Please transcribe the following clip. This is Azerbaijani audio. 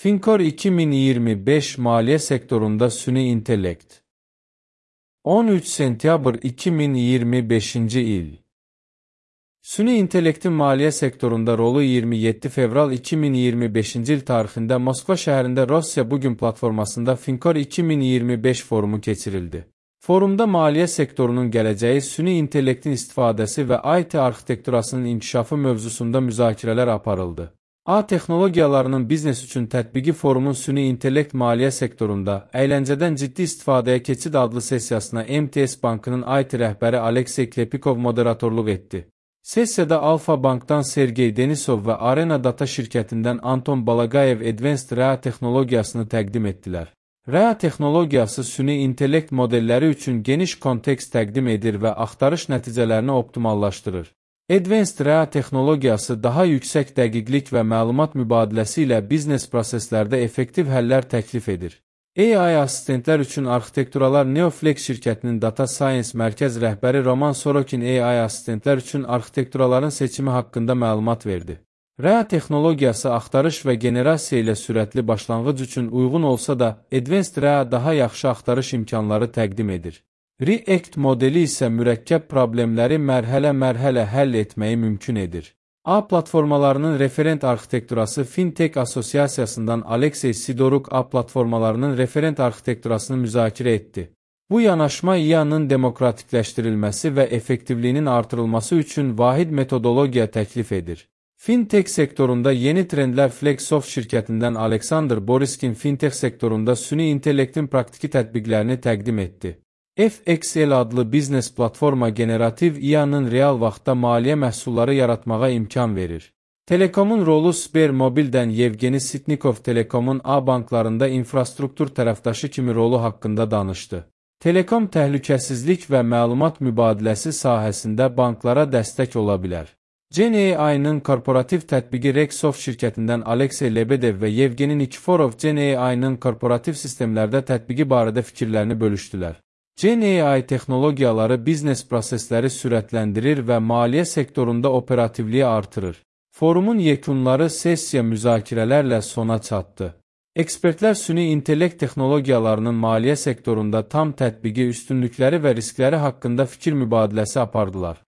Finkor 2025 maliyyə sektorunda süni intellekt. 13 sentyabr 2025-ci il. Süni intellektin maliyyə sektorunda rolu 27 fevral 2025-ci il tarixində Moskva şəhərində Rusya Bugün platformasında Finkor 2025 forumu keçirildi. Forumda maliyyə sektorunun gələcəyi, süni intellektin istifadəsi və IT arxitekturasının inkişafı mövzusunda müzakirələr aparıldı. A texnologiyalarının biznes üçün tətbiqi forumun süni intellekt maliyyə sektorunda əyləncədən ciddi istifadəyə keçid adlı sessiyasına MTS Bankının IT rəhbəri Aleksey Klepikov moderatorluq etdi. Sessiyada Alfa Bankdan Sergey Denisov və Arena Data şirkətindən Anton Balagayev Advanced REA texnologiyasını təqdim etdilər. REA texnologiyası süni intellekt modelləri üçün geniş kontekst təqdim edir və axtarış nəticələrini optimallaşdırır. Advanced REA texnologiyası daha yüksək dəqiqlik və məlumat mübadiləsi ilə biznes proseslərdə effektiv həllər təklif edir. AI asistentlər üçün arxitekturalar Neoflex şirkətinin Data Science mərkəz rəhbəri Roman Sorokin AI asistentlər üçün arxitekturaların seçimi haqqında məlumat verdi. REA texnologiyası axtarış və generasiya ilə sürətli başlanğıc üçün uyğun olsa da, Advanced REA daha yaxşı axtarış imkanları təqdim edir. React modeli isə mürəkkəb problemləri mərhələ-mərhələ həll etməyi mümkün edir. A platformalarının referent arxitekturası Fintech Asosiasiyasından Aleksey Sidoruk A platformalarının referent arxitekturasını müzakirə etdi. Bu yanaşma IA-nın demokratikləşdirilməsi və effektivliyinin artırılması üçün vahid metodologiya təklif edir. Fintech sektorunda yeni trendlər Flexsoft şirkətindən Aleksandr Boriskin Fintech sektorunda süni intellektin praktiki tətbiqlərini təqdim etdi. FXL adlı biznes platforma generativ IA-nın real vaxtda maliyyə məhsulları yaratmağa imkan verir. Telekomun rolu Sbermobildən Yevgeni Sitnikov Telekomun A banklarında infrastruktur tərəfdaşı kimi rolu haqqında danışdı. Telekom təhlükəsizlik və məlumat mübadiləsi sahəsində banklara dəstək ola bilər. GenAI-nın korporativ tətbiqi Rexsoft şirkətindən Aleksey Lebedev və Yevgeni Nikiforov GenAI-nın korporativ sistemlərdə tətbiqi barədə fikirlərini bölüşdülər. GenAI texnologiyaları biznes prosesləri sürətləndirir və maliyyə sektorunda operativliyi artırır. Forumun yekunları sessiya müzakirələrlə sona çatdı. Ekspertlər süni intellekt texnologiyalarının maliyyə sektorunda tam tətbiqi, üstünlükləri və riskləri haqqında fikir mübadiləsi apardılar.